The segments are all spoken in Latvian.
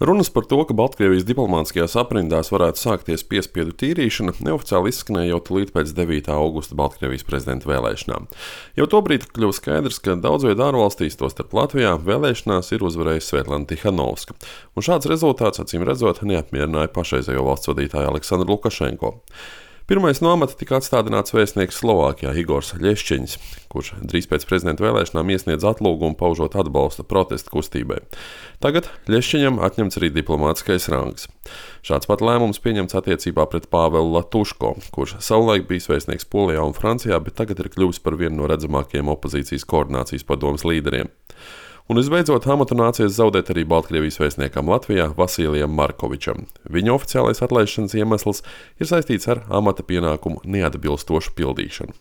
Runas par to, ka Baltkrievijas diplomātiskajās aprindās varētu sākties piespiedu tīrīšana, neoficiāli izskanēja jau tūlīt pēc 9. augusta Baltkrievijas prezidenta vēlēšanām. Jau tobrīd kļuva skaidrs, ka daudz vietu ārvalstīs, tostarp Latvijā, vēlēšanās ir uzvarējusi Svetlana Tihanovska, un šāds rezultāts, acīm redzot, neapmierināja pašreizējo valsts vadītāju Aleksandru Lukašenko. Pirmais no amata tika atstādināts vēstnieks Slovākijā Igors Ļešķeņs, kurš drīz pēc prezidenta vēlēšanām iesniedz atlūgumu paužot atbalstu protesta kustībai. Tagad Ļešķeņam atņemts arī diplomātiskais rangs. Šāds pat lēmums pieņemts attiecībā pret Pāvelu Latuško, kurš savulaik bijis vēstnieks Polijā un Francijā, bet tagad ir kļuvis par vienu no redzamākajiem opozīcijas koordinācijas padomes līderiem. Un visbeidzot, amatu nācies zaudēt arī Baltkrievijas vēstniekam Latvijā Vasilijam Markovičam. Viņa oficiālais atlaišanas iemesls ir saistīts ar amata pienākumu neatbilstošu pildīšanu.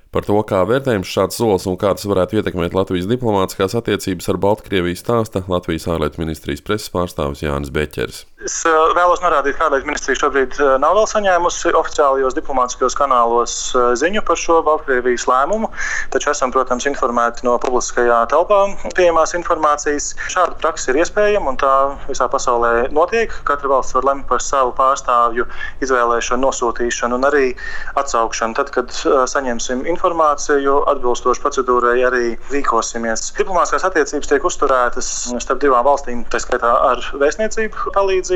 Par to, kā vērtējams šāds solis un kā tas varētu ietekmēt Latvijas diplomātiskās attiecības ar Baltkrieviju, stāsta Latvijas ārlietu ministrijas preses pārstāvis Jānis Beķeris. Es vēlos norādīt, ka ārlietu ministrija šobrīd nav vēl saņēmusi oficiālajos diplomātiskajos kanālos ziņu par šo Baltkrievijas lēmumu, taču esam, protams, informēti no publiskajā telpā pieejamās informācijas. Šāda praksa ir iespējama un tā visā pasaulē notiek. Katra valsts var lemt par savu pārstāvju izvēlēšanu, nosūtīšanu un arī atsaukšanu. Tad, kad saņemsim informāciju, atbilstoši procedūrai arī rīkosimies. Diplomātiskās attiecības tiek uzturētas starp divām valstīm, tā skaitā ar vēstniecību palīdzību.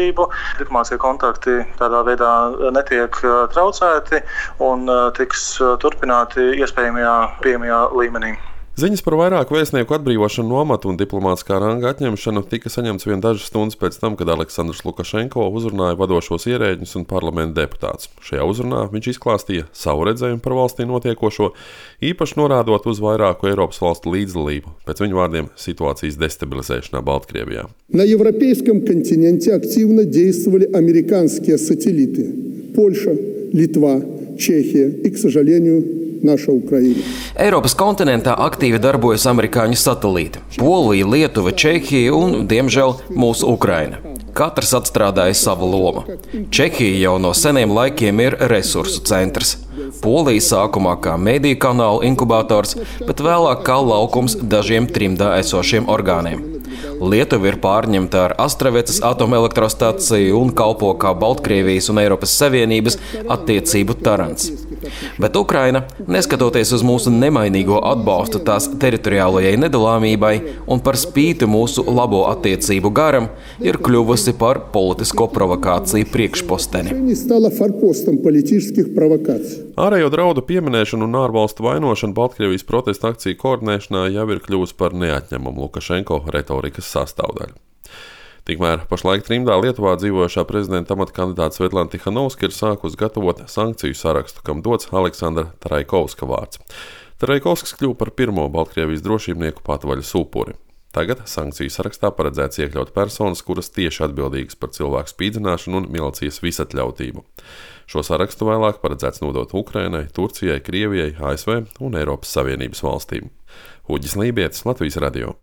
Diplomātiskie kontakti tādā veidā netiek traucēti un tiks turpināti iespējamajā pieejamajā līmenī. Ziņas par vairāku vēstnieku atbrīvošanu no amata un diplomātiskā ranga atņemšanu tika saņemts vien dažas stundas pēc tam, kad Aleksandrs Lukašenko uzrunāja vadošos ierēģņus un parlamenta deputātus. Šajā uzrunā viņš izklāstīja savu redzējumu par valstī notiekošo, īpaši norādot uz vairāku Eiropas valstu līdzdalību, pēc viņu vārdiem situācijas destabilizēšanā Baltkrievijā. На европейском континенте активно действовали американские сателлиты – Польша, Литва, Чехия и, к сожалению, naša Ukraina. Eiropas kontinentā aktīvi darbojas amerikāņu satelīti – Polija, Lietuva, Čehija un, diemžēl, mūsu Ukraina. Katrs atstrādāja savu lomu. Čehija jau no seniem laikiem ir resursu centrs. Polija sākumā kā mediju kanāla inkubators, bet vēlāk kā laukums dažiem trimdā esošiem orgāniem. Lietuva ir pārņemta ar Astravecas atomelektrostaciju un kalpo kā Baltkrievijas un Eiropas Savienības attiecību tarants. Bet Ukraina, neskatoties uz mūsu nemainīgo atbalstu tās teritoriālajai nedalāmībai un par spīti mūsu labo attiecību garam, ir kļuvusi par politisko provokāciju priekšposteni. Ārējo draudu pieminēšana un ārvalstu vainošana Baltkrievijas protesta akciju koordinēšanā jau ir kļuvusi par neatņemumu Lukašenko retorikas sastāvdaļu. Tikmēr pašlaik trimdā Lietuvā dzīvojošā prezidenta amata kandidāte Svetlana Tihanovska ir sākusi gatavot sankciju sarakstu, kam dots Aleksandra Taraikovska vārds. Taraikovskis kļuva par pirmo Baltkrievijas drošībnieku patvaļas upuri. Tagad sankciju sarakstā paredzēts iekļaut personas, kuras tieši atbildīgas par cilvēku spīdzināšanu un milicijas visatļautību. Šo sarakstu vēlāk paredzēts nodot Ukrainai, Turcijai, Krievijai, ASV un Eiropas Savienības valstīm. Uģis Lībietis, Latvijas radio.